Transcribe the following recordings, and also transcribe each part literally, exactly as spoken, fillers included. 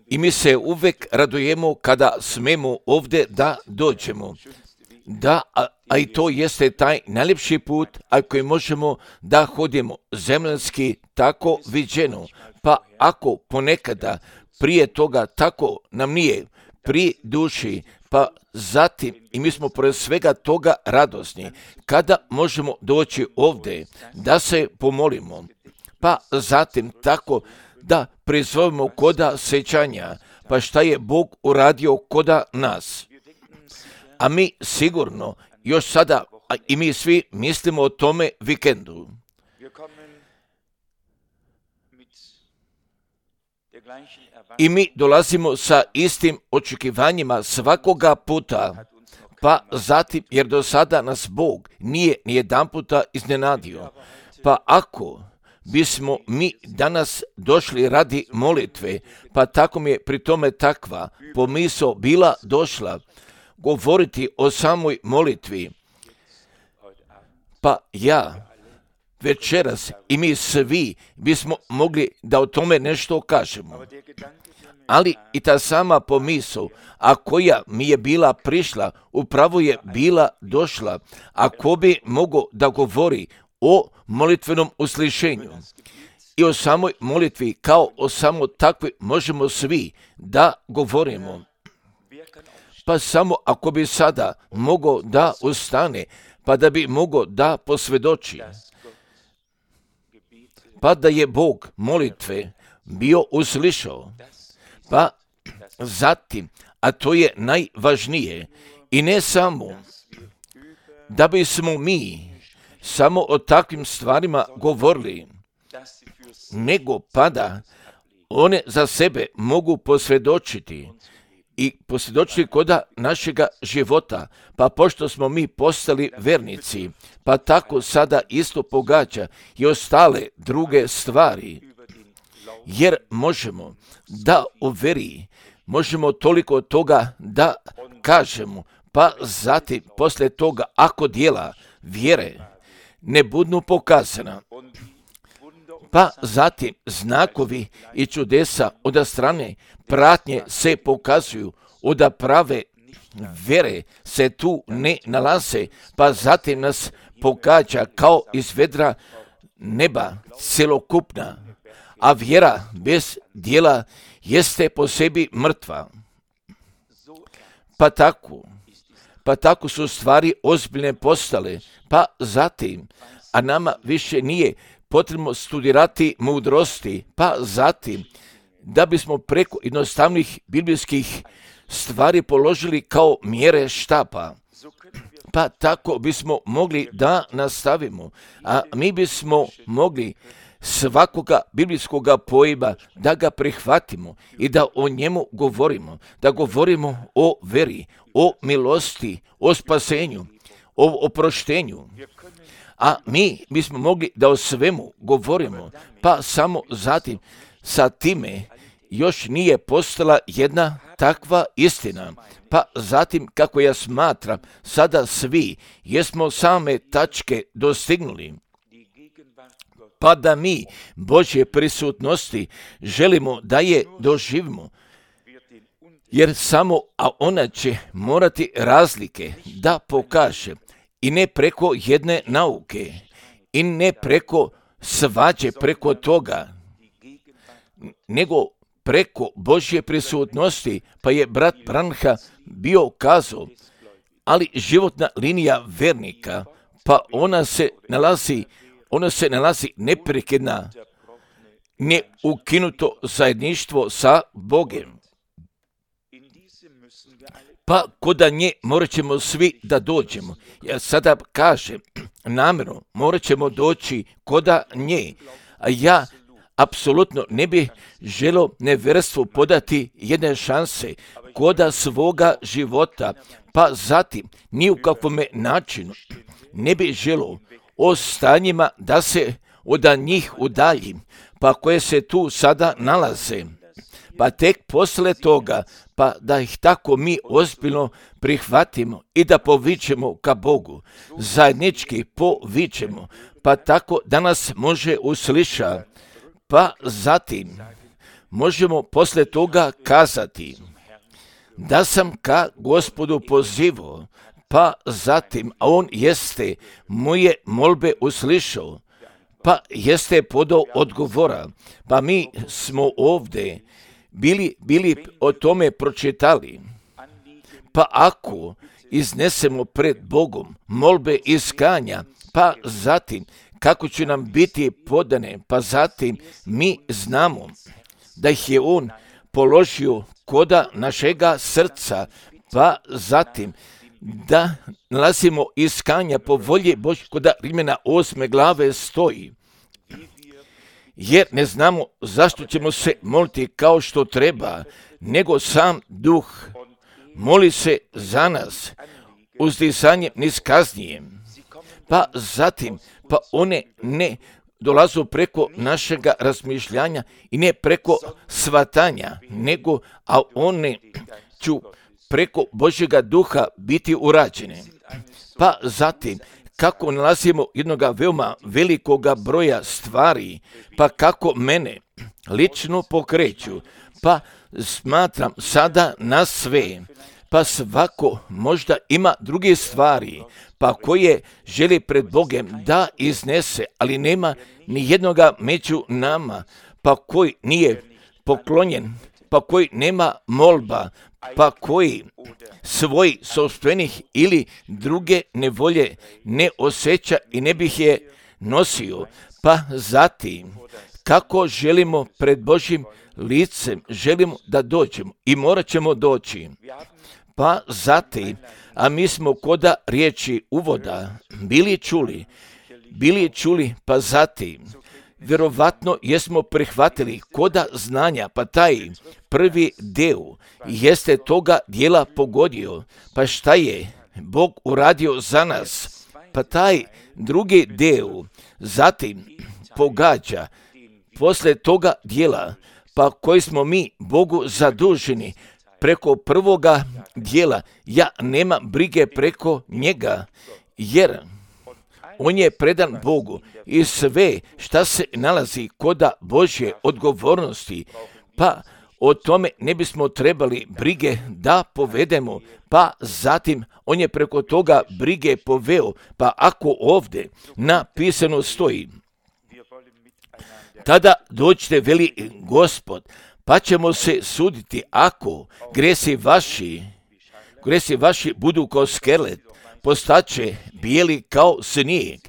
I mi se uvek radujemo kada smemo ovdje da dođemo. Da, a, a i to jeste taj najljepši put, a koji možemo da hodimo zemljanski tako viđeno. Pa ako ponekada prije toga tako nam nije pri duši, pa zatim i mi smo pored svega toga radosni, kada možemo doći ovdje da se pomolimo, pa zatim tako da prizovemo koda sećanja, pa šta je Bog uradio koda nas. A mi sigurno još sada, a i mi svi mislimo o tome vikendu. I mi dolazimo sa istim očekivanjima svakoga puta, pa zatim, jer do sada nas Bog nije ni jedan puta iznenadio. Pa ako bismo mi danas došli radi molitve, pa tako mi je pri tome takva pomisao bila došla govoriti o samoj molitvi, pa ja večeras i mi svi bismo mogli da o tome nešto kažemo. Ali i ta sama pomisao, a koja mi je bila prišla, upravo je bila došla, a ko bi mogao da govori o molitvenom uslišenju i o samoj molitvi, kao o samo takvoj možemo svi da govorimo. Pa samo ako bi sada mogao da ustane, pa da bi mogao da posvjedoči, pa da je Bog molitve bio uslišao, pa zatim, a to je najvažnije, i ne samo da bismo mi samo o takvim stvarima govorili, nego pa da one za sebe mogu posvjedočiti i posvjedočiti koda našega života, pa pošto smo mi postali vernici, pa tako sada isto pogađa i ostale druge stvari, jer možemo da u veri, možemo toliko toga da kažemo, pa zatim poslije toga ako dijela vjere ne budu pokazana, pa zatim znakovi i čudesa od strane pratnje se pokazuju, od prave vere se tu ne nalaze, pa zatim nas pogađa kao iz vedra neba celokupna, a vjera bez dijela jeste po sebi mrtva. Pa tako, pa tako su stvari ozbiljne postale, pa zatim, a nama više nije potrebno studirati mudrosti, pa zatim, da bismo preko jednostavnih biblijskih stvari položili kao mjere štapa, pa tako bismo mogli da nastavimo, a mi bismo mogli svakoga biblijskoga pojma da ga prihvatimo i da o njemu govorimo, da govorimo o veri, o milosti, o spasenju, o oproštenju. A mi bismo mogli da o svemu govorimo, pa samo zatim sa time još nije postala jedna takva istina. Pa zatim, kako ja smatram, sada svi jesmo same tačke dostignuli, pa da mi Božje prisutnosti želimo da je doživimo, jer samo a ona će morati razlike da pokaže, i ne preko jedne nauke, i ne preko svađe preko toga, nego preko Božje prisutnosti. Pa je brat Branha bio kazao, ali životna linija vernika, pa ona se nalazi, ona se nalazi neprekidna, neukinuto zajedništvo sa Bogem. Pa koda nje morat ćemo svi da dođemo. Ja sada kažem namjerno, morat ćemo doći koda nje. A ja apsolutno ne bih želio neverstvu podati jedne šanse koda svoga života, pa zatim ni u kakvome načinu ne bih želio o stanjima da se od njih udaljim, pa koje se tu sada nalaze. Pa tek posle toga, pa da ih tako mi ozbiljno prihvatimo i da povičemo ka Bogu, zajednički povičemo, pa tako da nas može usliša, pa zatim možemo posle toga kazati da sam ka Gospodu pozivao, pa zatim, a on jeste moje molbe uslišao, pa jeste podao odgovora, pa mi smo ovde bili, bili o tome pročitali, pa ako iznesemo pred Bogom molbe iskanja, pa zatim kako će nam biti podane, pa zatim mi znamo da ih je on položio koda našega srca, pa zatim da nalazimo iskanja po volji Božje, koda Rimljana osme glave stoji. Jer ne znamo zašto ćemo se moliti kao što treba, nego sam Duh moli se za nas uzdisanjem niskaznijem. Pa zatim, pa one ne dolazu preko našega razmišljanja i ne preko svatanja, nego, a one ću preko Božjega Duha biti urađene. Pa zatim, kako nalazimo jednoga veoma velikoga broja stvari, pa kako mene lično pokreću, pa smatram sada na sve, pa svako možda ima druge stvari, pa koje želi pred Bogem da iznese, ali nema ni jednoga među nama, pa koji nije poklonjen, pa koji nema molba, pa koji svoj sopstvenih ili druge nevolje ne osjeća i ne bih je nosio, pa zatim kako želimo pred Božjim licem, želimo da dođemo i morat ćemo doći. Pa zatim, a mi smo koda riječi uvoda bili čuli, bili čuli, pa zatim, vjerovatno jesmo prihvatili koda znanja, pa taj prvi deo jeste toga dijela pogodio, pa šta je Bog uradio za nas, pa taj drugi deo zatim pogađa posle toga dijela, pa koji smo mi Bogu zaduženi preko prvoga dijela, ja nema brige preko njega, jer on je predan Bogu i sve šta se nalazi koda Božje odgovornosti, pa o tome ne bismo trebali brige da povedemo, pa zatim on je preko toga brige poveo, pa ako ovde napisano stoji, tada dođite, veli Gospod, pa ćemo se suditi ako gresi vaši, gresi vaši budu kao skerlet, postaće bijeli kao snijeg.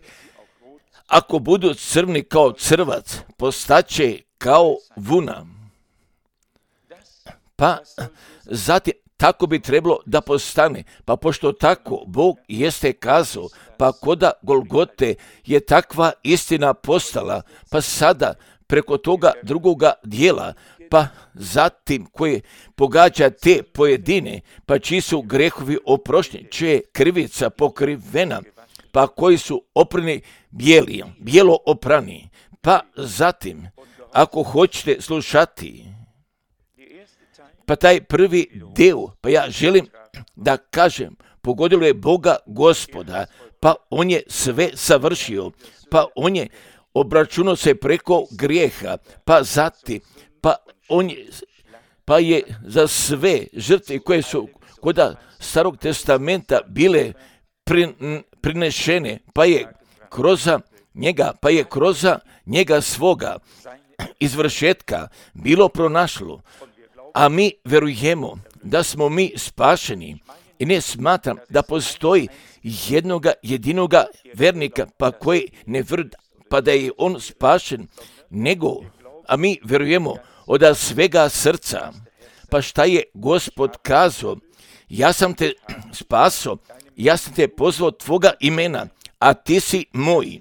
Ako budu crni kao crvac, postaće kao vuna. Pa zatim tako bi trebalo da postane, pa pošto tako Bog jeste kazao, pa koda Golgote je takva istina postala, pa sada preko toga drugoga dijela, pa zatim koje pogađa te pojedine, pa čiji su grehovi oprošteni, čija je krivica pokrivena, pa koji su oprani bijeli, bijelo oprani, pa zatim, ako hoćete slušati, pa taj prvi deo, pa ja želim da kažem, pogodilo je Boga Gospoda, pa on je sve savršio, pa on je obračunao se preko grijeha, pa zatim, pa on je, pa je za sve žrtve koje su kod Starog testamenta bile prinešene, pa je kroz njega, pa je kroz njega svoga izvršetka bilo pronašlo, a mi verujemo da smo mi spašeni i ne smatram da postoji jednoga jedinoga vernika, pa koji ne vrda, pa da je on spašen, nego, a mi verujemo od svega srca, pa šta je Gospod kazao, ja sam te spaso, ja sam te pozvao tvoga imena, a ti si moj.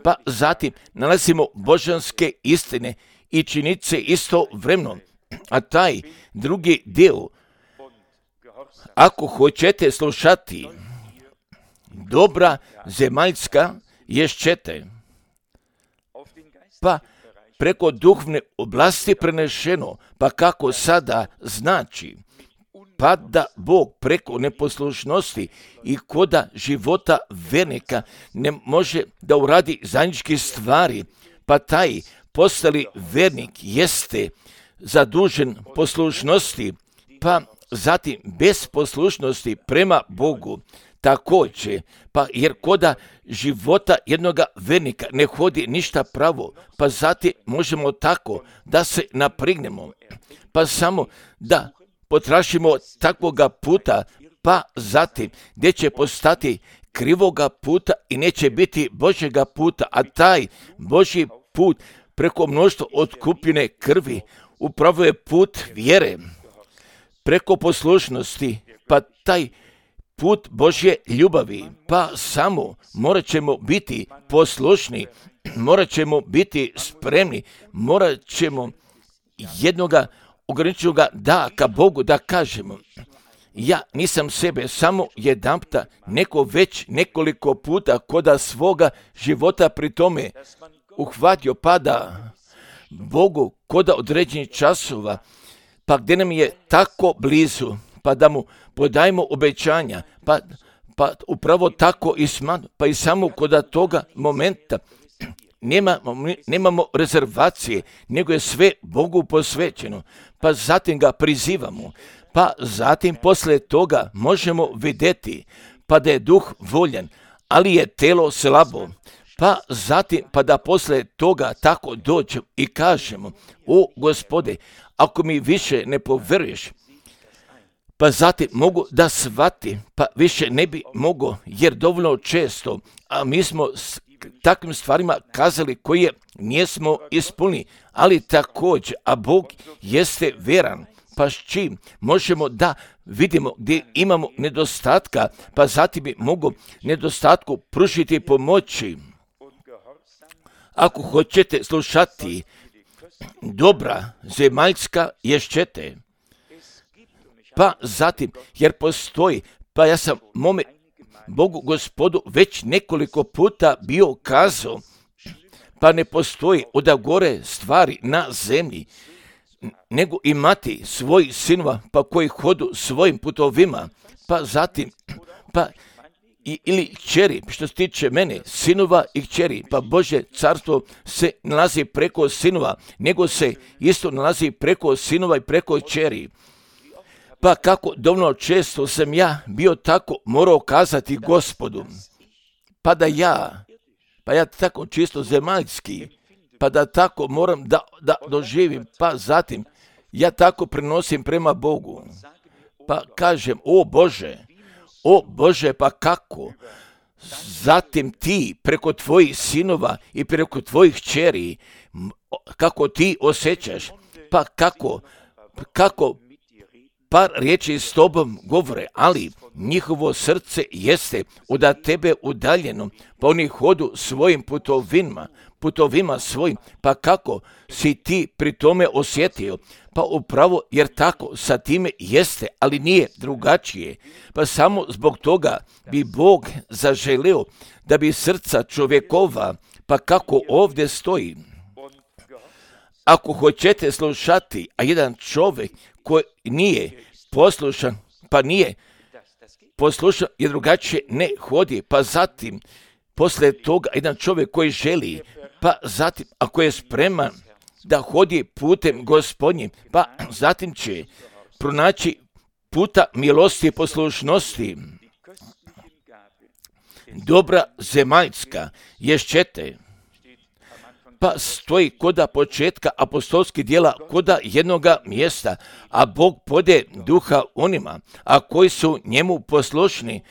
Pa zatim nalazimo božanske istine i činice isto vremeno, a taj drugi dio, ako hoćete slušati, dobra zemaljska ješćete, pa preko duhovne oblasti prenešeno, pa kako sada znači, pa da Bog preko neposlušnosti i koda života vernika ne može da uradi zajedničke stvari, pa taj postali vernik jeste zadužen poslušnosti, pa zatim bez poslušnosti prema Bogu također, pa jer koda života jednoga vernika ne hodi ništa pravo, pa zatim možemo tako da se naprignemo, pa samo da potražimo takvoga puta, pa zatim gdje će postati krivoga puta i neće biti Božjega puta, a taj Božji put preko mnoštva otkupljene krvi upravo je put vjere, preko poslušnosti, pa taj put Božje ljubavi, pa samo morat ćemo biti poslušni, morat ćemo biti spremni, morat ćemo jednoga ograničenoga da ka Bogu da kažemo, ja nisam sebe samo jedanputa, neko već nekoliko puta koda svoga života pri tome uhvatio, pa da Bogu koda određenih časova, pa gdje nam je tako blizu, pa da mu podajemo obećanja, pa, pa upravo tako i smanu, pa i samo koda toga momenta nemamo, nemamo rezervacije, nego je sve Bogu posvećeno, pa zatim ga prizivamo, pa zatim poslije toga možemo vidjeti, pa da je duh voljan, ali je telo slabo, pa zatim pa da poslije toga tako dođemo i kažemo, o Gospode, ako mi više ne povjeruješ, pa zatim mogu da shvati, pa više ne bi mogo, jer dovoljno često, a mi smo s takvim stvarima kazali koje nismo ispunili, ali također, a Bog jeste vjeran, pa s čim možemo da vidimo gdje imamo nedostatka, pa zatim bi mogu nedostatku pružiti pomoći. Ako hoćete slušati dobra zemaljska ješćete, pa zatim, jer postoji, pa ja sam mome Bogu Gospodu već nekoliko puta bio kazao, pa ne postoji oda gore stvari na zemlji, nego imati svoj sinova, pa koji hodu svojim putovima, pa zatim, pa i, ili kćeri, što se tiče mene, sinova i kćeri, pa Božje carstvo se nalazi preko sinova, nego se isto nalazi preko sinova i preko kćeri. Pa kako dovoljno često sam ja bio tako morao kazati Gospodu, pa da ja, pa ja tako čisto zemaljski, pa da tako moram da, da doživim, pa zatim ja tako prenosim prema Bogu, pa kažem, o Bože, o Bože, pa kako? Zatim ti preko tvojih sinova i preko tvojih kćeri, kako ti osjećaš, pa kako, kako par riječi s tobom govore, ali njihovo srce jeste od tebe udaljeno, pa oni hodu svojim putovima, putovima svojim, pa kako si ti pri tome osjetio? Pa upravo jer tako sa time jeste, ali nije drugačije. Pa samo zbog toga bi Bog zaželio da bi srca čovjekova, pa kako ovdje stoji. Ako hoćete slušati, a jedan čovjek koji nije poslušan, pa nije poslušan i drugačije ne hodi, pa zatim poslije toga jedan čovjek koji želi, pa zatim ako je spreman da hodi putem Gospodnjim, pa zatim će pronaći puta milosti i poslušnosti. Dobra zemaljska ješćete, pa stoji koda početka apostolskih djela, koda jednoga mjesta, a Bog pode duha onima, a koji su njemu poslušni.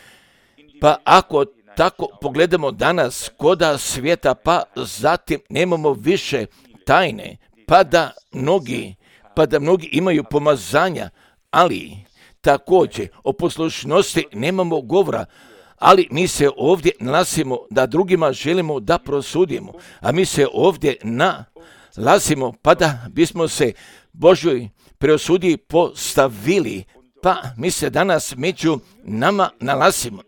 Pa ako tako pogledamo danas koda svijeta, pa zatim nemamo više tajne, pa da mnogi, pa da mnogi imaju pomazanja, ali također o poslušnosti nemamo govora. Ali mi se ovdje nalazimo da drugima želimo da prosudimo, a mi se ovdje nalazimo pa da bismo se Božoj preosudi postavili, pa mi se danas među nama nalazimo.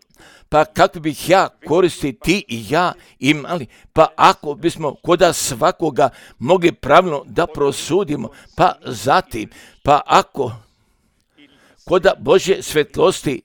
Pa kako bih ja koristi ti i ja imali, pa ako bismo koda svakoga mogli pravilno da prosudimo, pa zatim, pa ako koda Božje svetlosti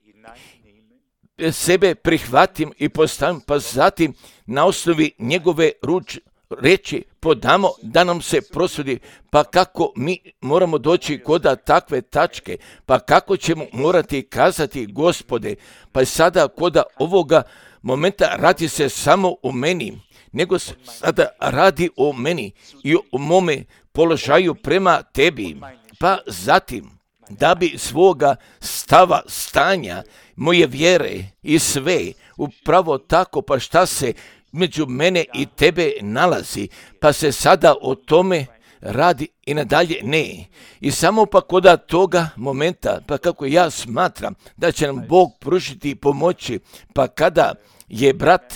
sebe prihvatim i postavim, pa zatim na osnovi njegove ruč, reći podamo da nam se prosudi, pa kako mi moramo doći kod takve tačke, pa kako ćemo morati kazati Gospode, pa sada kod ovoga momenta radi se samo o meni, nego se sada radi o meni i o mome položaju prema tebi, pa zatim da bi svoga stava, stanja, moje vjere i sve upravo tako, pa šta se među mene i tebe nalazi, pa se sada o tome radi i nadalje ne. I samo pa kod toga momenta, pa kako ja smatram da će nam Bog pružiti pomoći, pa kada je brat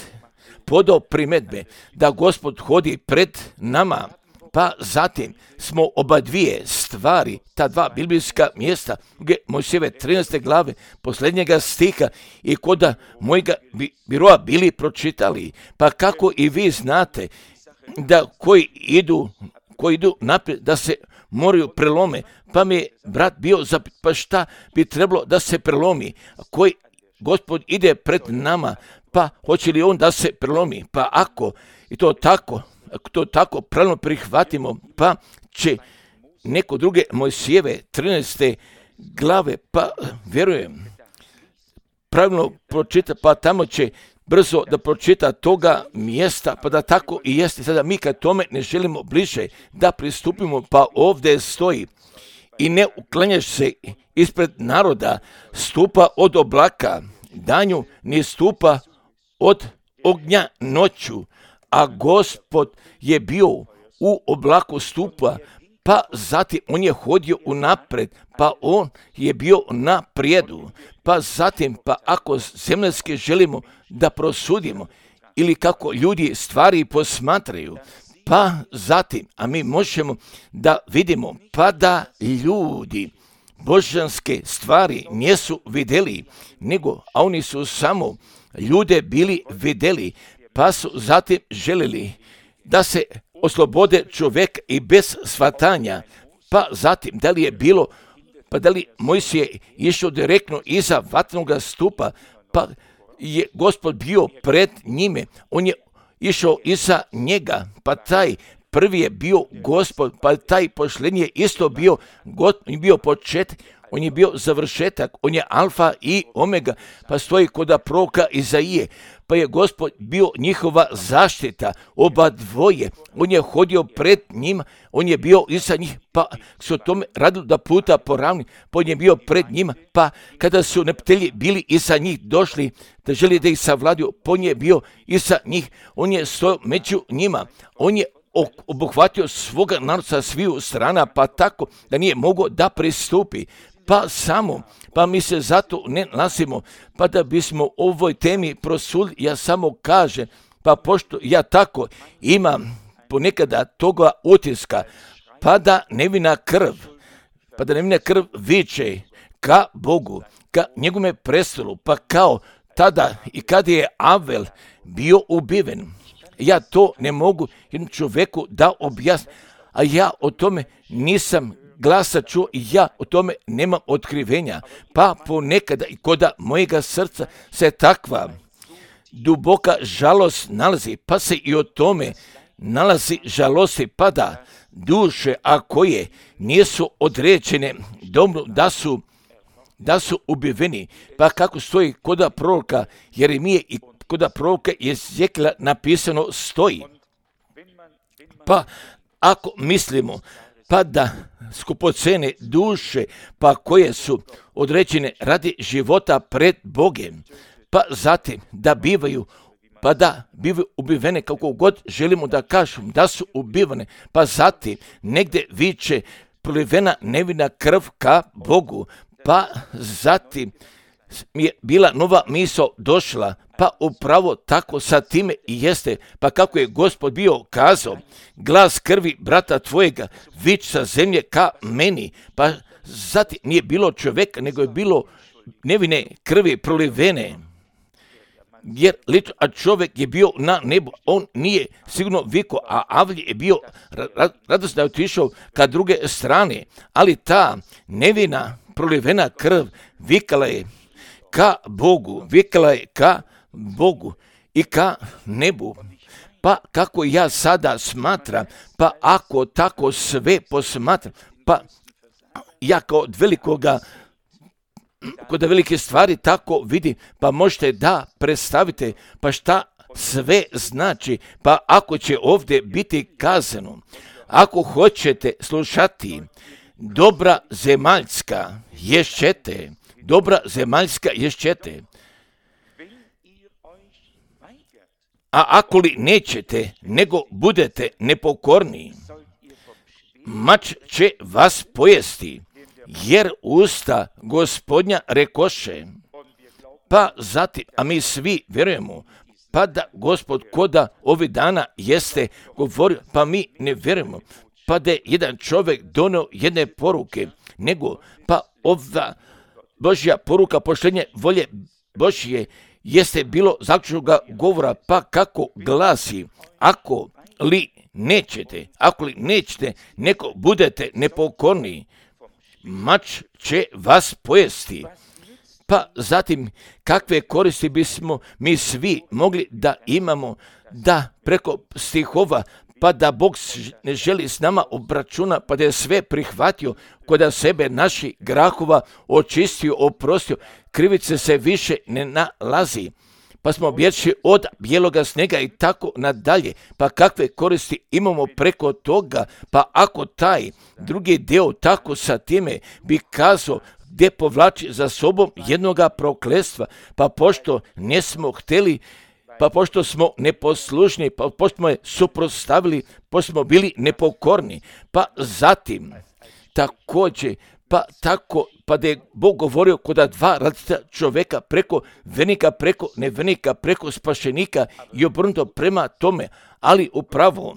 podao primjedbe da Gospod hodi pred nama, pa zatim smo oba dvije stvari, ta dva biblijska mjesta, Mojsijeve trinaeste glave, posljednjega stiha i kod mojega biroa bili pročitali, pa kako i vi znate da koji idu, koji idu naprijed, da se moraju prelome, pa mi je brat bio za, pa šta bi trebalo da se prelomi, koji Gospod ide pred nama, pa hoće li on da se prelomi, pa ako i to tako, ako to tako pravilno prihvatimo, pa će neko druge Mojsijeve trinaeste glave, pa vjerujem, pravilno pročita, pa tamo će brzo da pročita toga mjesta, pa da tako i jeste. Sada mi kad tome ne želimo bliže da pristupimo, pa ovdje stoji i ne uklanjaš se ispred naroda, stupa od oblaka danju, ni stupa od ognja noću, a Gospod je bio u oblaku stupa, pa zatim on je hodio unapred, pa on je bio na prijedu, pa zatim, pa ako zemaljski želimo da prosudimo, ili kako ljudi stvari posmatraju, pa zatim, a mi možemo da vidimo, pa da ljudi božanske stvari nisu vidjeli, nego, a oni su samo ljude bili vidjeli, pa su zatim željeli da se oslobode čovjek i bez shvatanja, pa zatim da li je bilo, pa da li Mojsije išao direktno iza vatrenog stupa, pa je Gospod bio pred njime, on je išao iza njega, pa taj prvi je bio Gospod, pa taj posljednji je isto bio, on je bio početak, on je bio završetak, on je alfa i omega, pa stoji kod proroka Izaije, pa je Gospod bio njihova zaštita, oba dvoje, on je hodio pred njima, on je bio iza njih, pa su o tome radili da puta poravni, pa on je bio pred njima, pa kada su neprijatelji bili iza njih došli, da želi da ih savladio, pa on je bio iza njih, on je stojao među njima, on je obuhvatio svoga naroda sa sviju strana, pa tako da nije mogao da pristupi, pa samo, pa mi se zato ne nalazimo, pa da bismo ovoj temi prosudili, ja samo kažem, pa pošto ja tako imam ponekada toga utiska, pa da nevina krv, pa da nevina krv viče ka Bogu, ka njegovome prestolu, pa kao tada i kad je Avel bio ubiven, ja to ne mogu jednom čovjeku da objasnim, a ja o tome nisam glasa čuo i ja o tome nemam otkrivenja, pa ponekada i kod mojega srca se takva duboka žalost nalazi, pa se i o tome nalazi žalosti, pa da duše, a koje nisu određene dobro da su, da su ubiveni, pa kako stoji kod proroka Jeremije i kod proroka Jezekijela napisano stoji, pa ako mislimo pa da skupocene duše, pa koje su određene radi života pred Bogem, pa zatim da bivaju, pa da bivaju ubivene kako god želimo da kažemo da su ubivane, pa zatim negdje viče prolivena nevina krv ka Bogu, pa zatim mi je bila nova misao došla, pa upravo tako sa time i jeste, pa kako je Gospod bio kazao, glas krvi brata tvojega, vič sa zemlje ka meni, pa zatim nije bilo čovjeka, nego je bilo nevine krvi prolivene, jer lično, a čovjek je bio na nebu, on nije sigurno viko, a Avlje je bio radosno da je otišao ka druge strane, ali ta nevina prolivena krv vikala je ka Bogu, vikala je ka Bogu i ka nebu, pa kako ja sada smatram, pa ako tako sve posmatram, pa ja kao od velikoga, kod velike stvari tako vidim, pa možete da predstavite, pa šta sve znači, pa ako će ovdje biti kazano, ako hoćete slušati, dobra zemaljska ješćete, dobra zemaljska ješćete, a ako li nećete, nego budete nepokorni, mač će vas pojesti, jer usta Gospodnja rekoše. Pa zatim, a mi svi vjerujemo, pa da Gospod koda ovih dana jeste govorio, pa mi ne vjerujemo, pa da je jedan čovjek donio jedne poruke, nego pa ova Božja poruka poštenje volje Božje jeste bilo zaključnoga govora, pa kako glasi, ako li nećete, ako li nećete, neko budete nepokorni, mač će vas pojesti. Pa zatim, kakve koristi bismo mi svi mogli da imamo, da preko stihova, pa da Bog ne želi s nama obračuna, pa da je sve prihvatio, kod sebe naši grahova očistio, oprostio, krivice se više ne nalazi, pa smo bježi od bijeloga snega i tako nadalje, pa kakve koristi imamo preko toga, pa ako taj drugi dio tako sa time bi kazao, gdje povlači za sobom jednoga prokletstva, pa pošto nesmo htjeli, pa pošto smo neposlušni, pa pošto smo je suprotstavili, pošto smo bili nepokorni, pa zatim također, pa tako, pa da je Bog govorio kod dva različita čovjeka preko vernika, preko nevernika, preko spašenika i obrnuto prema tome, ali upravo,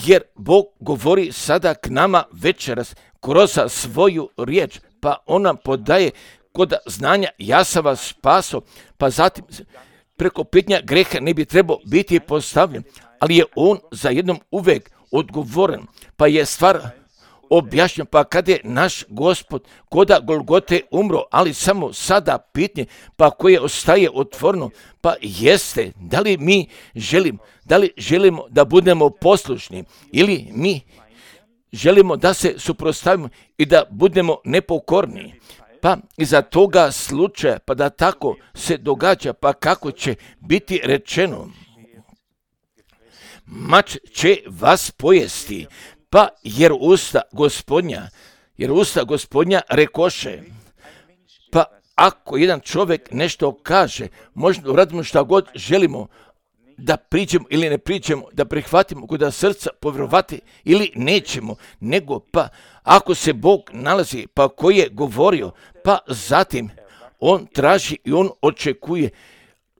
jer Bog govori sada k nama večeras kroz svoju riječ, pa on nam podaje kod znanja ja sam vas spaso, pa zatim preko pitanja greha ne bi trebao biti postavljen, ali je on za jednom uvijek odgovoren, pa je stvar objašnjen, pa kad je naš Gospod koda Golgote umro, ali samo sada pitanje, pa koje ostaje otvoreno, pa jeste, da li mi želimo, da li želimo da budemo poslušni ili mi želimo da se suprotstavimo i da budemo nepokorni. Pa iza toga slučaja, pa da tako se događa, pa kako će biti rečeno, mač će vas pojesti, pa jer usta Gospodnja, jer usta Gospodnja rekoše. Pa ako jedan čovjek nešto kaže, možda uradimo šta god želimo, da priđemo ili ne priđemo, da prihvatimo kod srca povjerovati ili nećemo, nego pa ako se Bog nalazi, pa koji je govorio, pa zatim on traži i on očekuje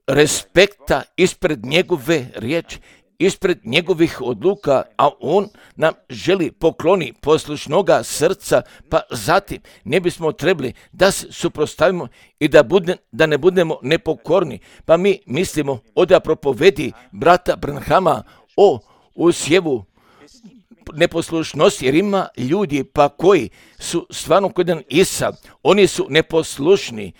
respekta ispred njegove riječi, ispred njegovih odluka, a on nam želi pokloni poslušnoga srca, pa zatim ne bismo trebali da se suprotstavimo i da, bude, da ne budemo nepokorni. Pa mi mislimo da propovedi brata Branhama o usjevu neposlušnosti, jer ima ljudi pa koji su stvarno kod jedan Isa, oni su neposlušni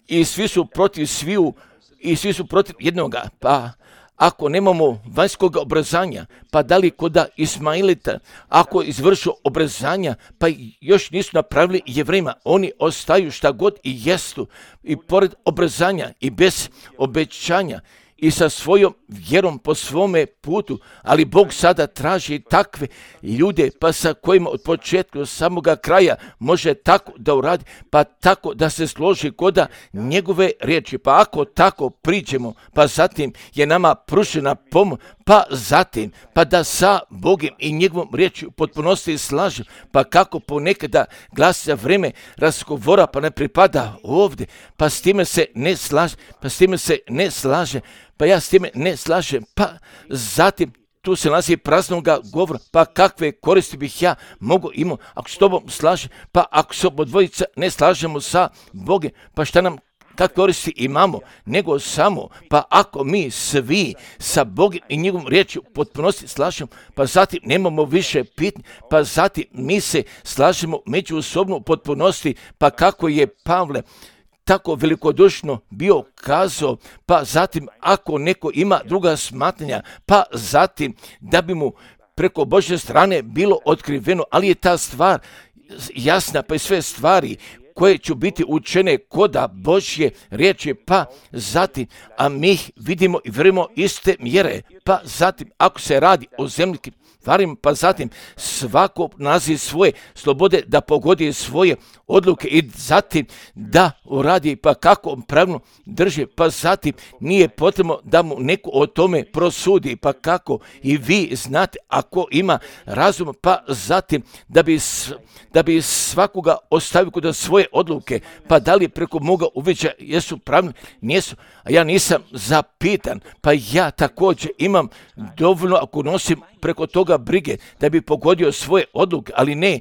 i svi su protiv sviju i svi su protiv jednoga, pa ako nemamo vanjskog obrazanja, pa da li kod Ismailita, ako izvršu obrazanja, pa još nisu napravili Jevrejima, oni ostaju šta god i jestu, i pored obrazanja i bez obećanja, i sa svojom vjerom po svome putu, ali Bog sada traži takve ljude, pa sa kojima od početka do samoga kraja može tako da uradi, pa tako da se složi koda njegove riječi, pa ako tako priđemo, pa zatim je nama pružena pomoć, pa zatim, pa da sa Bogom i njegovom riječi u potpunosti slažem, pa kako ponekada glas za vrijeme razgovora, pa ne pripada ovdje, pa s time se ne slaže, pa s time se ne slaže, pa ja s time ne slažem, pa zatim tu se nalazi praznoga govora, pa kakve koristi bih ja mogu imao ako s tobom slažem, pa ako se obodvojica ne slažemo sa Bogom, pa šta nam kakve koristi imamo, nego samo, pa ako mi svi sa Bogom i njegovom riječi u potpunosti slažemo, pa zatim nemamo više pitanja, pa zatim mi se slažemo međusobno u potpunosti, pa kako je Pavle tako velikodušno bio kazao, pa zatim ako neko ima druga smatranja, pa zatim da bi mu preko Božje strane bilo otkriveno, ali je ta stvar jasna, pa i sve stvari koje će biti učene koda Božje riječi, pa zatim, a mi ih vidimo i vjerujemo iste mjere, pa zatim, ako se radi o zemljikim stvarima, pa zatim svako nalazi svoje slobode da pogodi svoje odluke i zatim da uradi pa kako pravilno drži, pa zatim nije potrebno da mu neko o tome prosudi, pa kako i vi znate ako ima razum, pa zatim da bi, da bi svakoga ostavio kod svoje odluke, pa da li preko moga uviđa jesu pravilni, nijesu, a ja nisam zapitan, pa ja također imam dovoljno ako nosim preko toga brige da bi pogodio svoje odluke, ali ne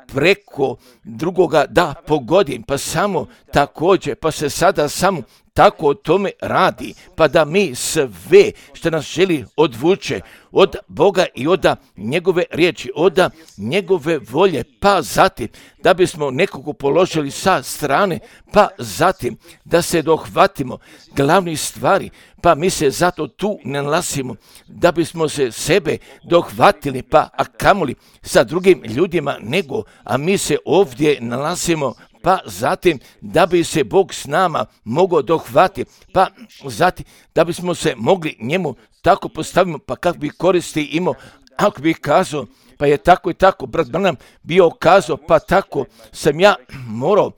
preko drugoga da pogodim, pa samo također, pa se sada samo tako o tome radi, pa da mi sve što nas želi odvuče od Boga i od njegove riječi, od njegove volje, pa zatim da bismo nekoga položili sa strane, pa zatim da se dohvatimo glavnih stvari, pa mi se zato tu ne nalazimo, da bismo se sebe dohvatili, pa a kamoli sa drugim ljudima nego, a mi se ovdje nalazimo, pa zatim da bi se Bog s nama mogao dohvatiti, pa zatim da bismo se mogli njemu tako postavimo, pa kako bi koristi imao, ako bi kazao, pa je tako i tako, brat Branham bio kazao, pa tako sam ja morao,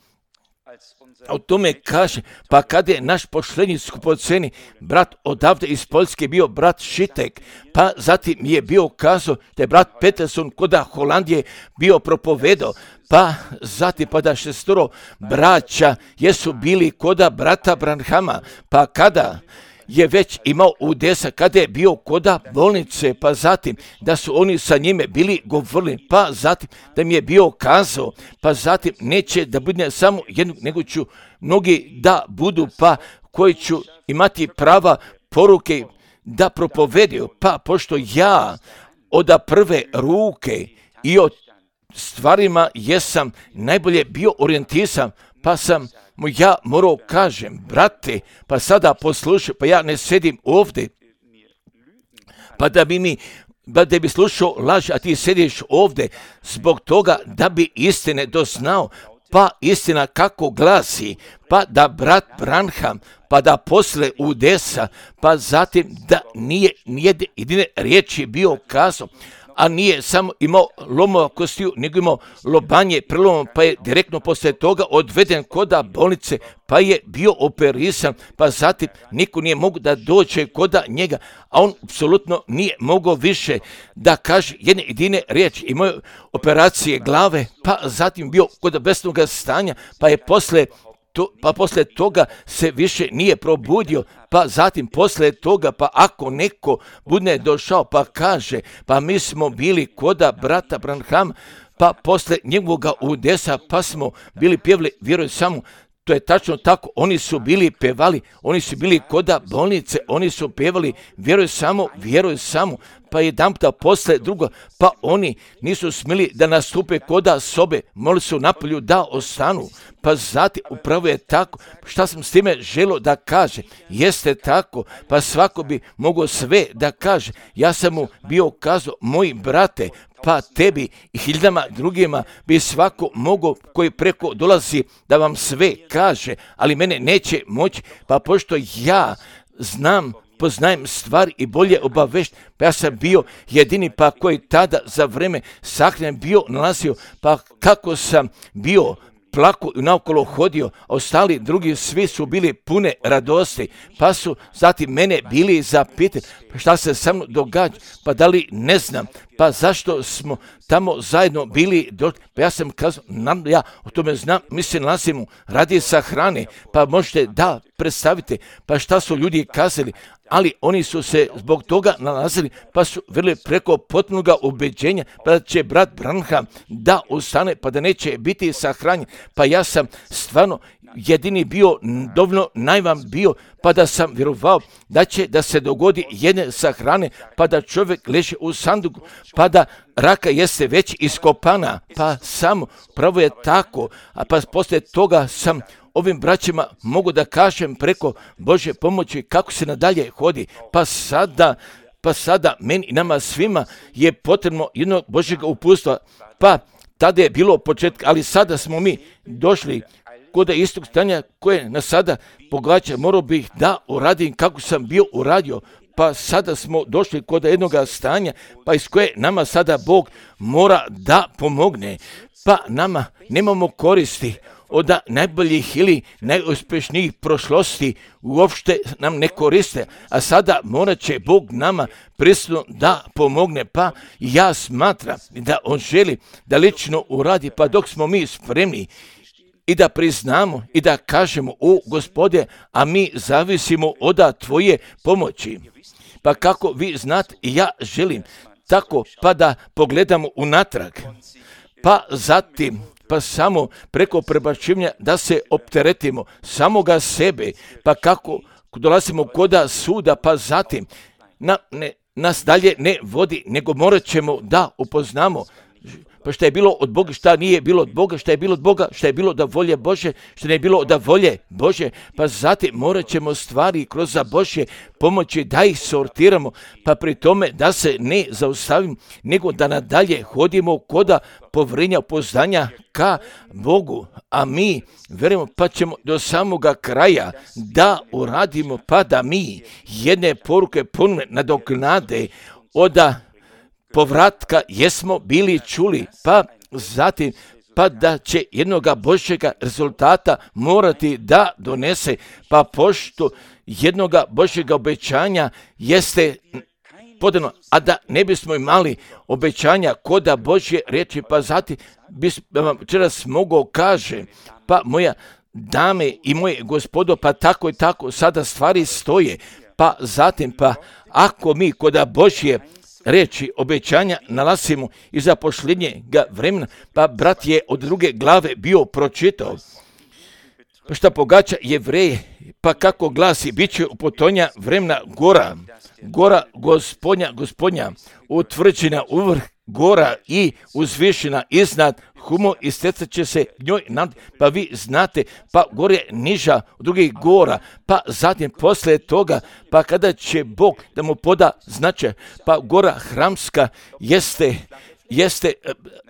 o tome kaže, pa kada je naš pošlednji skupoceni brat odavde iz Poljske bio brat Šitek, pa zatim je bio kazao da je brat Peterson koda Holandije bio propovedao, pa zatim pa da šestoro braća jesu bili koda brata Branhama, pa kada je već imao udesa, kada je bio koda bolnice, pa zatim da su oni sa njime bili govorili, pa zatim da mi je bio kazao, pa zatim neće da bude samo jednog, nego ću mnogi da budu, pa koji ću imati prava poruke da propovedio, pa pošto ja od prve ruke i od stvarima jesam najbolje bio orijentisan, pa sam mu ja morao kažem, brate, pa sada poslušaj, pa ja ne sedim ovdje, pa da bi mi, pa da bi slušao laž, a ti sediš ovdje zbog toga da bi istine doznao, pa istina kako glasi, pa da brat Branham, pa da posle udesa, pa zatim da nije nijedne jedine riječi bio kazao, a nije samo imao lomova kostiju, nego imao lobanje prelomom, pa je direktno poslije toga odveden koda bolnice, pa je bio operisan, pa zatim niko nije mogao da dođe koda njega, a on apsolutno nije mogao više da kaže jedne jedine riječi. Imao operacije glave, pa zatim bio kod besnog stanja, pa je posle To, pa posle toga se više nije probudio, pa zatim posle toga, pa ako neko bude došao pa kaže, pa mi smo bili koda brata Branhama, pa posle njegovoga udesa, pa smo bili pjevali, vjeruj samo, to je tačno tako, oni su bili pevali, oni su bili koda bolnice, oni su pevali, vjeruj samo, vjeruj samo, pa jedan puta posle drugo, pa oni nisu smjeli da nastupe koda sobe, morali su napolju da ostanu, pa zatim upravo je tako, šta sam s time želio da kaže, jeste tako, pa svako bi mogao sve da kaže, ja sam mu bio kazao, moji brate, pa tebi i hiljadama drugima bi svako mogao koji preko dolazi da vam sve kaže, ali mene neće moći, pa pošto ja znam, poznajem stvari i bolje obavešt, pa ja sam bio jedini pa koji tada za vreme sahrane bio nalazio, pa kako sam bio plako i naokolo hodio, a ostali drugi svi su bili pune radosti, pa su zatim mene bili zapitali, pa šta se sa mnom događa, pa da li ne znam, pa zašto smo tamo zajedno bili, pa ja sam kazao, ja o tome znam, mi se nalazimo, radi sa hrane, pa možete da predstavite, pa šta su ljudi kazali, ali oni su se zbog toga nalazili, pa su vjerili preko potpunog ubeđenja, pa da će brat Branham da ustane, pa da neće biti sahranjen, pa ja sam stvarno jedini bio, dovoljno najvam bio, pa da sam vjerovao da će da se dogodi jedne sahrane, pa da čovjek leži u sanduku, pa da raka jeste već iskopana, pa samo pravo je tako, a pa poslije toga sam ovim braćima mogu da kažem preko Božje pomoći kako se nadalje hodi. Pa sada, pa sada meni i nama svima je potrebno jednog Božjeg uputstva. Pa tada je bilo početka, ali sada smo mi došli kod istog stanja koje nas sada pogađa. Morao bih da uradim kako sam bio uradio. Pa sada smo došli kod jednog stanja, pa iz koje nama sada Bog mora da pomogne. Pa nama nemamo koristi od najboljih ili najuspješnijih prošlosti, uopšte nam ne koriste, a sada morat će Bog nama prisutno da pomogne. Pa ja smatram da On želi da lično uradi, pa dok smo mi spremni i da priznamo i da kažemo: o Gospode, a mi zavisimo od Tvoje pomoći. Pa kako vi znate, ja želim tako pa da pogledamo unatrag, pa zatim pa samo preko prebacivanja da se opteretimo samoga sebe, pa kako dolazimo kod suda, pa zatim na, ne, nas dalje ne vodi, nego morat ćemo da upoznamo pa šta je bilo od Boga, šta nije bilo od Boga, šta je bilo od Boga, šta je bilo da volje Bože, šta ne bilo da volje Bože, pa zatim morat ćemo stvari kroz Božje pomoći da ih sortiramo, pa pri tome da se ne zaustavim, nego da nadalje hodimo koda povrenja upoznanja ka Bogu, a mi verujemo pa ćemo do samoga kraja da uradimo, pa da mi jedne poruke ponovne nadoknade od povratka jesmo bili čuli, pa zatim pa da će jednoga Božjega rezultata morati da donese, pa pošto jednoga Božjega obećanja jeste podano, a da ne bismo imali obećanja koda Božje riječi, pa zatim bi vam večeras mogao kaže, pa moja dame i moje gospodo, pa tako i tako sada stvari stoje, pa zatim pa ako mi koda Božje reći obećanja nalazimo i za posljednjega vremena, pa brat je od druge glave bio pročitao, pa šta pogađa Jevreje, pa kako glasi, bit će u potonja vremena gora, gora gospodnja, gospodnja, utvrđena uvrh gora i uzvišena iznad humo i stecat će se njoj nad, pa vi znate, pa gore niža od drugih gora, pa zatim posle toga, pa kada će Bog da mu poda značaj, pa gora Hramska jeste, jeste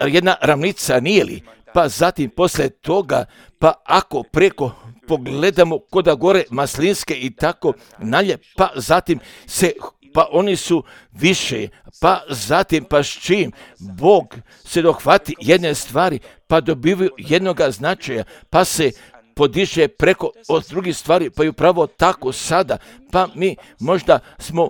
jedna ravnica, nije li? Pa zatim posle toga, pa ako preko pogledamo koda gore Maslinske i tako nalje, pa zatim se pa oni su više, pa zatim pa s čim Bog se dohvati jedne stvari, pa dobivaju jednoga značaja, pa se podiže preko od drugih stvari, pa i upravo tako sada, pa mi možda smo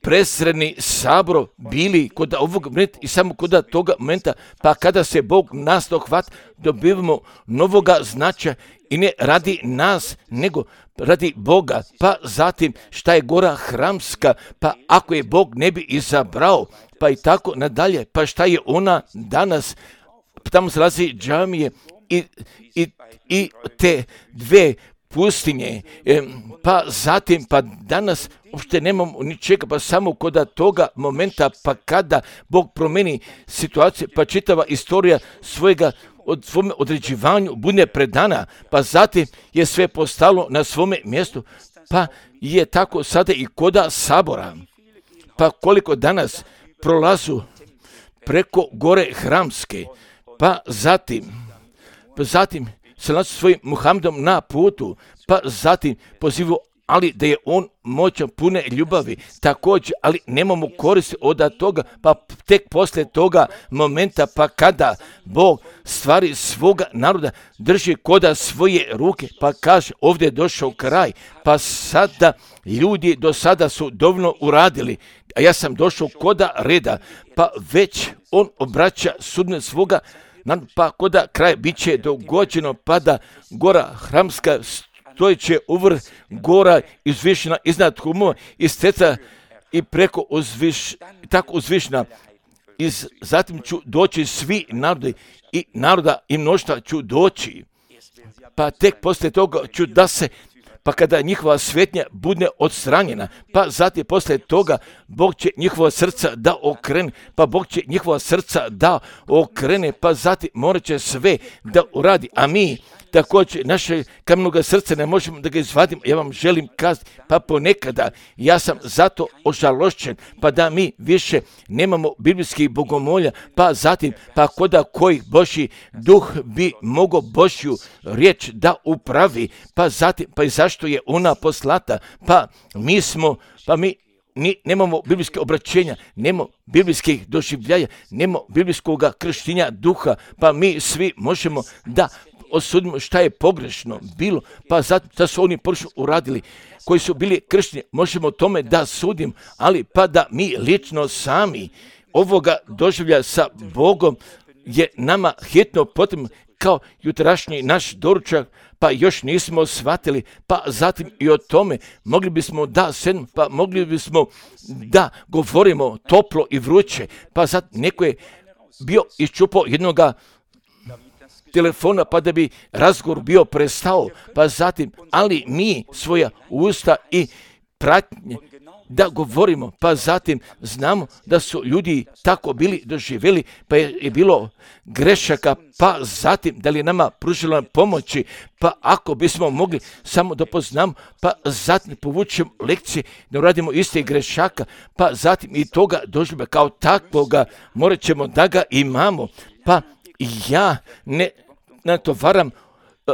presredni sabro bili kod ovog momenta i samo kod toga momenta, pa kada se Bog nas dohvati, dobivamo novoga značaja i ne radi nas, nego radi Boga, pa zatim šta je gora Hramska, pa ako je Bog ne bi izabrao, pa i tako nadalje, pa šta je ona danas, tamo se nalazi džamije i, i, i te dve pustinje, pa zatim pa danas uopšte nemamo ničega, pa samo kod toga momenta, pa kada Bog promeni situaciju, pa čitava istorija svojega od svome određivanju bude predana, pa zatim je sve postalo na svome mjestu, pa je tako sada i koda sabora. Pa koliko danas prolazu preko gore Hramske, pa zatim, pa zatim se nalazi svojim Muhammedom na putu, pa zatim pozivu, ali da je on moćan, pune ljubavi, također, ali nemamo koristi od toga, pa tek poslije toga momenta, pa kada Bog stvari svoga naroda drži koda svoje ruke, pa kaže ovdje je došao kraj, pa sada ljudi do sada su dovoljno uradili, a ja sam došao koda reda, pa već on obraća sudbinu svoga, pa koda kraj bit će dogođeno, pa da gora Hramska stojeće uvrh gora uzvišena iznad humova i steca i preko uzviš, tako uzvišena. I zatim ću doći svi narodi i naroda i mnoštva ću doći. Pa tek poslije toga ću da se, pa kada njihova svetnja bude odstranjena, pa zatim poslije toga Bog će njihova srca da okrene, pa Bog će njihova srca da okrene, pa zatim morat će sve da uradi, a mi također naše kamenoga srca ne možemo da ga izvadimo. Ja vam želim kazati, pa ponekada ja sam zato ožalošćen, pa da mi više nemamo biblijskih bogomolja, pa zatim, pa koda koji Božji duh bi mogao Božju riječ da upravi, pa zatim, pa i zašto je ona poslata, pa mi smo, pa mi Ni, nemamo biblijske obraćenja, nemamo biblijskih doživljaja, nemamo biblijskog krštenja duha, pa mi svi možemo da osudimo šta je pogrešno bilo, pa zato da su oni pogrešno uradili, koji su bili kršteni, možemo tome da sudim, ali pa da mi lično sami ovoga doživlja sa Bogom je nama hitno potrebno, kao jutrašnji naš doručak, pa još nismo shvatili, pa zatim i o tome mogli bismo da sedmo, pa mogli bismo da govorimo toplo i vruće, pa zatim neko je bio iščupao jednoga telefona, pa da bi razgovor bio prestao, pa zatim, ali mi svoja usta i pratnje da govorimo, pa zatim znamo da su ljudi tako bili doživjeli, pa je, je bilo grešaka, pa zatim da li je nama pružila pomoći, pa ako bismo mogli samo da poznamo, pa zatim povučemo lekcije, da uradimo iste grešaka, pa zatim i toga doživlja kao takvoga, morat ćemo da ga imamo, pa ja ne natovaram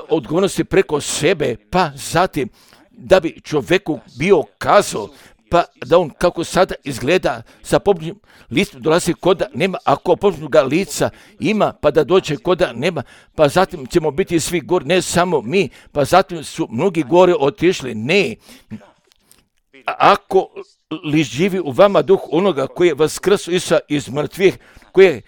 odgovornosti preko sebe, pa zatim da bi čovjeku bio kazao, pa da on kako sada izgleda sa pobožnim licem dolazi koda nema, ako pobožnog lica ima, pa da dođe koda nema, pa zatim ćemo biti svi gore, ne samo mi, pa zatim su mnogi gore otišli, ne. Ako li živi u vama duh onoga koji je vaskrsao Isusa iz mrtvih, koji je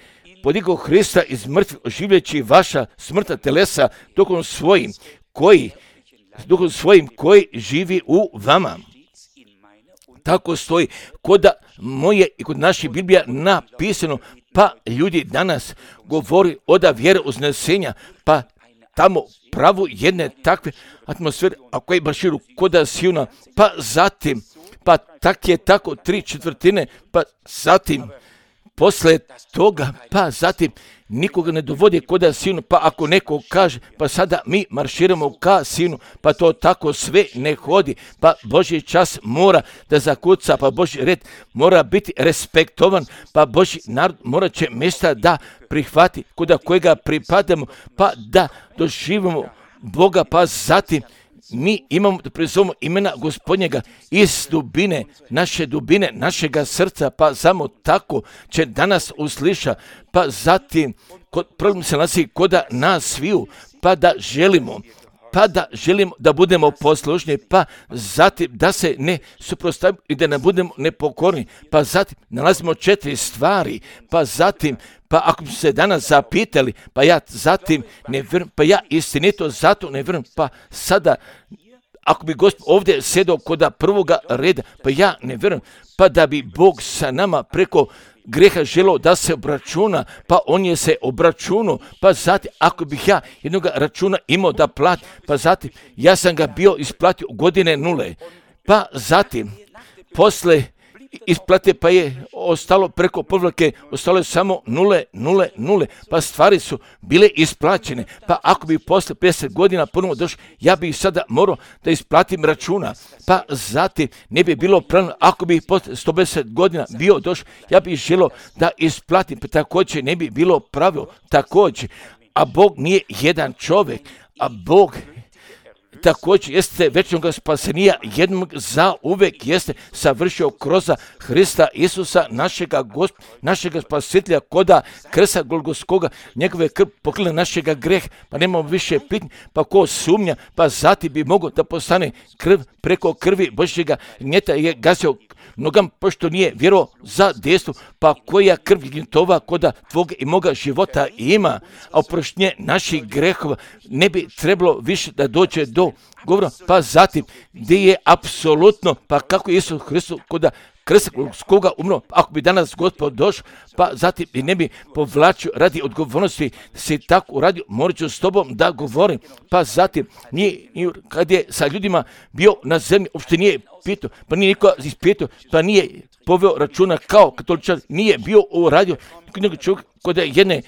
podigao Hrista iz mrtvih, oživljajući vaša smrtna telesa duhom svojim, koji, duhom svojim koji živi u vama. Tako stoji kod moje i kod naše Biblija napisano, pa ljudi danas govori oda vjere uznesenja, pa tamo pravu jedne takve atmosfere, a koje baširu koda Sijuna, pa zatim, pa tak je tako tri četvrtine, pa zatim, posle toga, pa zatim, nikoga ne dovodi koda Sijunu, pa ako neko kaže, pa sada mi marširamo ka Sijunu, pa to tako sve ne hodi, pa Božji čas mora da zakuca, pa Božji red mora biti respektovan, pa Božji narod mora će mjesta da prihvati, koda kojega pripadamo, pa da doživimo Boga, pa zatim mi imamo da prizovemo imena Gospodnjega iz dubine, naše dubine, našega srca, pa samo tako će danas usliša, pa zatim kod, problem se nalazi koda nas sviju, pa da želimo, pa da želimo da budemo poslušni, pa zatim da se ne suprotstavimo i da ne budemo nepokorni, pa zatim nalazimo četiri stvari, pa zatim, pa ako bi se danas zapitali, pa ja zatim ne vjerujem, pa ja istinito zato ne vjerujem, pa sada ako bi Gospod ovdje sedao koda prvoga reda, pa ja ne vjerujem, pa da bi Bog sa nama preko greha želeo da se obračuna, pa on je se obračunao, pa zatim ako bih ja jednog računa imao da plati, pa zatim ja sam ga bio isplatio godine nule, pa zatim posle isplate pa je ostalo preko povlake, ostalo je samo nule, nule, nule, pa stvari su bile isplaćene, pa ako bi posle pedeset godina ponovo došao, ja bih sada morao da isplatim računa, pa zatim ne bi bilo pravilno, ako bi posle sto pedeset godina bio došao, ja bih želio da isplatim, pa također ne bi bilo pravilo, također, a Bog nije jedan čovjek, a Bog također jeste večnog spasenija jednog za uvek jeste savršio kroz Hrista Isusa, našega Gospoda, našega spasitelja, koda krsta Golgotskoga, njegove krv pokrila našega greh, pa nemamo više pitnje, pa ko sumnja, pa zatim bi mogao da postane krv preko krvi Božjega gnjeta je gazio nogam, pošto nije vjerovao za dejstvo, pa koja krv gnjetova koda tvoga i moga života ima, a oproštenje naših grehova ne bi trebalo više da dođe do govora, pa zatim gdje je apsolutno, pa kako je Isus Hristos koda krsta Golgotskoga umro, ako bi danas Gospod došao, pa zatim i ne bi povlačio radi odgovornosti da se tako uradio, morat ću s tobom da govorim, pa zatim nije, kad je sa ljudima bio na zemlji, uopšte nije pitao, pa nije niko ispitao, pa nije poveo računa kao katoličan, nije bio uradio nego čovjek kod jedne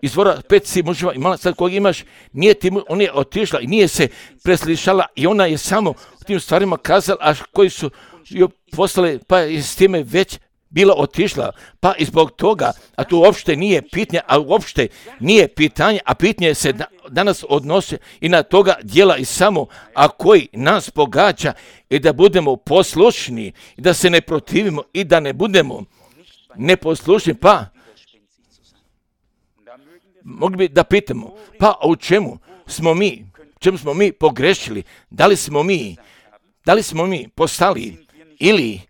izvora pet si muževa imala, sad koga imaš, nije ti, ona je otišla i nije se preslišala i ona je samo o tim stvarima kazala, a koji su joj poslali, pa je s time već bila otišla, pa i zbog toga, a to uopšte nije pitanje, a uopšte nije pitanje, a pitanje se danas odnose i na toga dijela i samo, a koji nas pogađa i da budemo poslušni, i da se ne protivimo i da ne budemo neposlušni, pa mogli bi da pitamo, pa u čemu smo mi, čemu smo mi pogrešili, da li smo mi, da li smo mi postali ili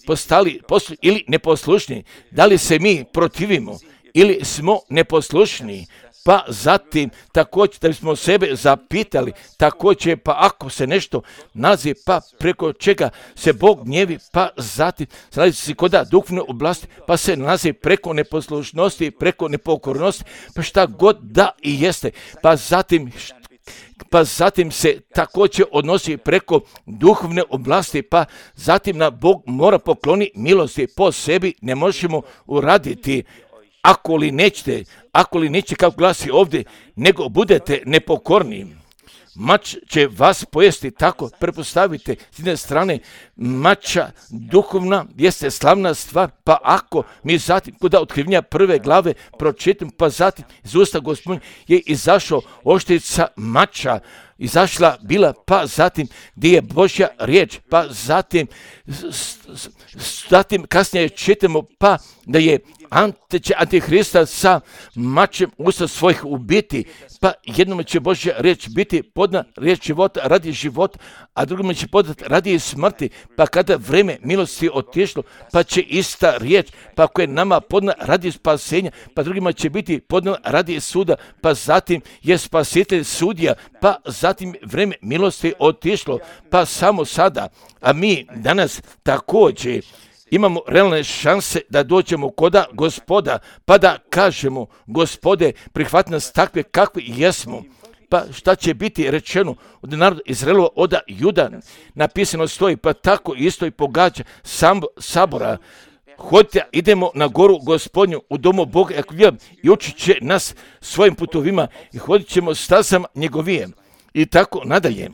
postali poslu, ili neposlušni, da li se mi protivimo ili smo neposlušni, pa zatim također da bismo sebe zapitali, također pa ako se nešto nalazi, pa preko čega se Bog gnjevi, pa zatim nalazi se kod duhovne oblasti, pa se nalazi preko neposlušnosti, preko nepokornosti, pa šta god da i jeste, pa zatim pa zatim se također odnosi preko duhovne oblasti, pa zatim na Bog mora pokloni milosti, po sebi ne možemo uraditi, ako li nećete, ako li neće kako glasi ovdje, nego budete nepokorni. Mač će vas pojesti, tako prepostavite. S jedne strane, mača duhovna jeste slavna stvar, pa ako mi zatim, kuda otkrivnja prve glave pročitam, pa zatim iz usta Gospodnja je izašao oštrica mača, izašla bila, pa zatim gdje je Božja riječ, pa zatim, zatim kasnije čitamo, pa da je Ante će Antihrista sa mačem usta svojih ubiti, pa jednom će Božja riječ biti podna riječ života radi života, a drugom će podati radi smrti, pa kada vreme milosti otišlo, pa će ista riječ, pa ako je nama podna radi spasenja, pa drugima će biti podna radi suda, pa zatim je spasitelj sudija, pa zatim vreme milosti otišlo, pa samo sada, a mi danas također imamo realne šanse da dođemo koda Gospoda, pa da kažemo, Gospode, prihvati nas takve kakvi jesmo. Pa šta će biti rečeno od naroda Izraelova, od Juda, napisano stoji, pa tako isto i pogađa sam, sabora. Hodite, idemo na goru Gospodnju, u domu Boga i učit će nas svojim putovima i hodit ćemo stazama njegovije. I tako nadalje.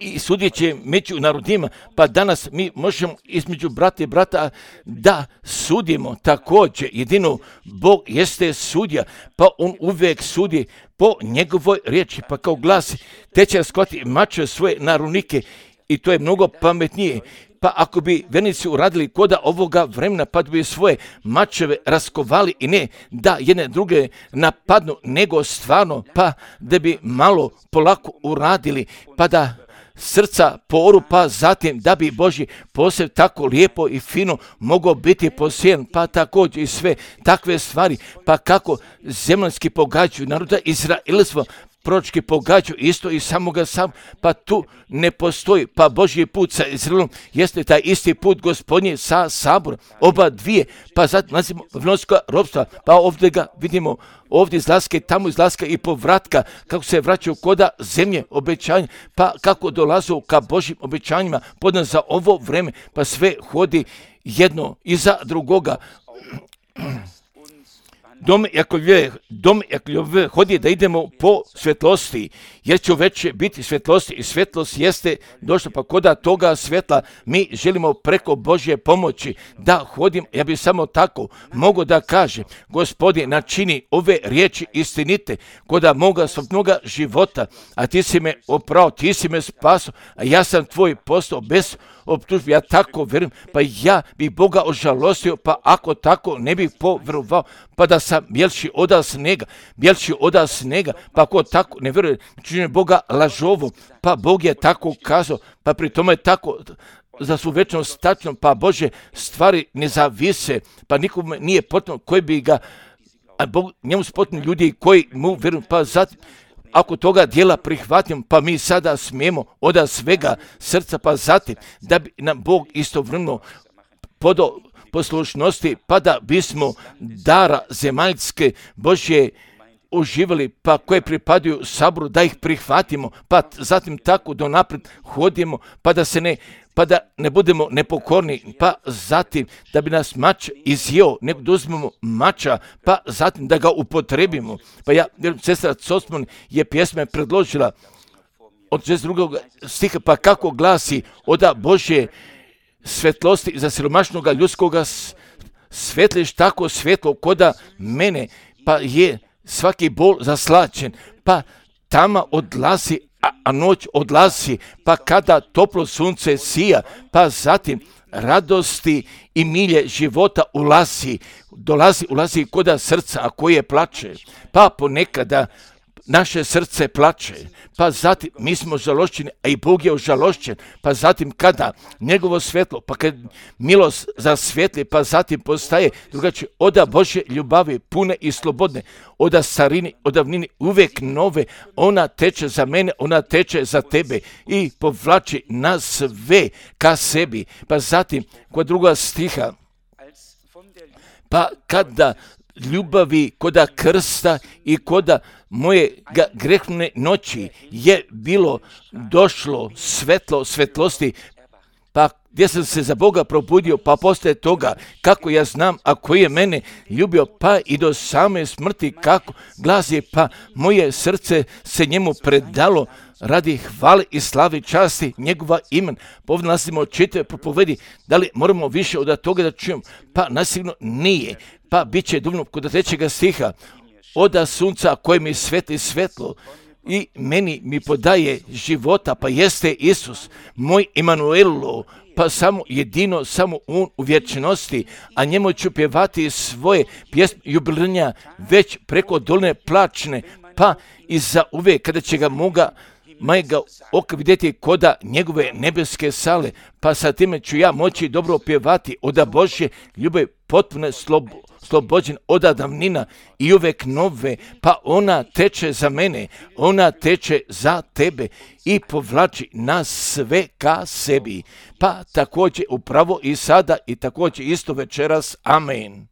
I sudjet će među narodima, pa danas mi možemo između brata i brata da sudimo također. Jedino Bog jeste sudja, pa on uvijek sudi po njegovoj riječi, pa kao glasi, te će raskoti mače svoje narunike i to je mnogo pametnije. Pa ako bi vernici uradili koda ovoga vremena, pa bi svoje mačeve raskovali i ne da jedne druge napadnu, nego stvarno, pa da bi malo polako uradili, pa da srca poru, pa zatim da bi Božji posjed tako lijepo i fino mogao biti posijen, pa također i sve takve stvari, pa kako zemljanski pogađaju naroda Izraelstva, proročki pogađaju isto i samoga sam, pa tu ne postoji, pa Božji put sa Izraelom jeste taj isti put Gospodnji sa saborom, oba dvije, pa zatim nalazimo vnovska robstva, pa ovdje ga vidimo, ovdje izlaska i tamo izlaska i povratka, kako se vraćaju koda zemlje obećanja, pa kako dolazu ka Božjim obećanjima, podno za ovo vreme, pa sve hodi jedno iza drugoga. Dom Jakovljeve, dom Jakovljeve hodi da idemo po svjetlosti, jer će već biti svjetlosti i svjetlost jeste došla, pa koda toga svjetla mi želimo preko Božje pomoći da hodim. Ja bih samo tako mogu da kažem, Gospodine, načini ove riječi istinite koda moga svaknoga života, a ti si me oprao, ti si me spasao, a ja sam tvoj postao bez optužbi, ja tako vjerujem, pa ja bih Boga ožalostio, pa ako tako ne bih povjerovao, pa da sam bjelši oda snega, bjelši oda snega, pa ako tako ne vjeruje, čini Boga lažovu, pa Bog je tako kazao, pa pri tome tako za svu večnost tačno, pa Bože stvari ne zavise, pa nikome nije potrebno koji bi ga, a Bog, njemu su potrebni ljudi koji mu vjeruju, pa zatim, ako toga dijela prihvatimo, pa mi sada smijemo od svega srca, pa zatim da bi nam Bog istovremeno podao poslušnosti, pa da bismo dara zemaljske Božje uživali, pa koje pripadaju saboru, da ih prihvatimo, pa zatim tako do napred hodimo, pa da se ne pa da ne budemo nepokorni, pa zatim da bi nas mač izjeo, nego da uzmemo mača, pa zatim da ga upotrebimo. Pa ja, sestra Cosmon je pjesme predložila od šezdeset drugog stiha, pa kako glasi: oda Božje svetlosti za siromašnoga ljudskoga svetliš tako svetlo koda mene, pa je svaki bol zaslačen, pa tama odlazi, a, a noć odlazi, pa kada toplo sunce sija, pa zatim radosti i milje života ulazi, dolazi, ulazi koda srca, a koje plače, pa ponekada naše srce plače, pa zatim mi smo žalošćeni, a i Bog je ožalošćen, pa zatim kada njegovo svetlo, pa kad milost zasvjetli, pa zatim postaje drugačije, oda Božje ljubavi pune i slobodne, oda starini, od davnini uvek nove, ona teče za mene, ona teče za tebe i povlači nas sve ka sebi. Pa zatim kod druga stiha, pa kada ljubavi koda krsta i koda moje grehne noći je bilo došlo svetlo svetlosti, pa gdje sam se za Boga probudio, pa poslije toga kako ja znam, a koji je mene ljubio, pa i do same smrti kako glasi, pa moje srce se njemu predalo radi hvale i slavi časti njegova imen. Povdje nastavimo čitave propovedi, da li moramo više od toga da čujemo? Pa nasigurno nije. Pa bit će dovoljno kod trećega stiha, oda sunca koje mi svetli svetlo i meni mi podaje života, pa jeste Isus, moj Emanuelo, pa samo jedino, samo on u vječnosti, a njemu ću pjevati svoje pjesme jubilejne već preko dolne plačne, pa i za uvijek kada će ga moga majega oka vidjeti koda njegove nebeske sale, pa sa time ću ja moći dobro pjevati oda Božje ljubav potpune slobo, slobođen oda davnina i uvek nove, pa ona teče za mene, ona teče za tebe i povlači nas sve ka sebi. Pa također upravo i sada i također isto večeras. Amen.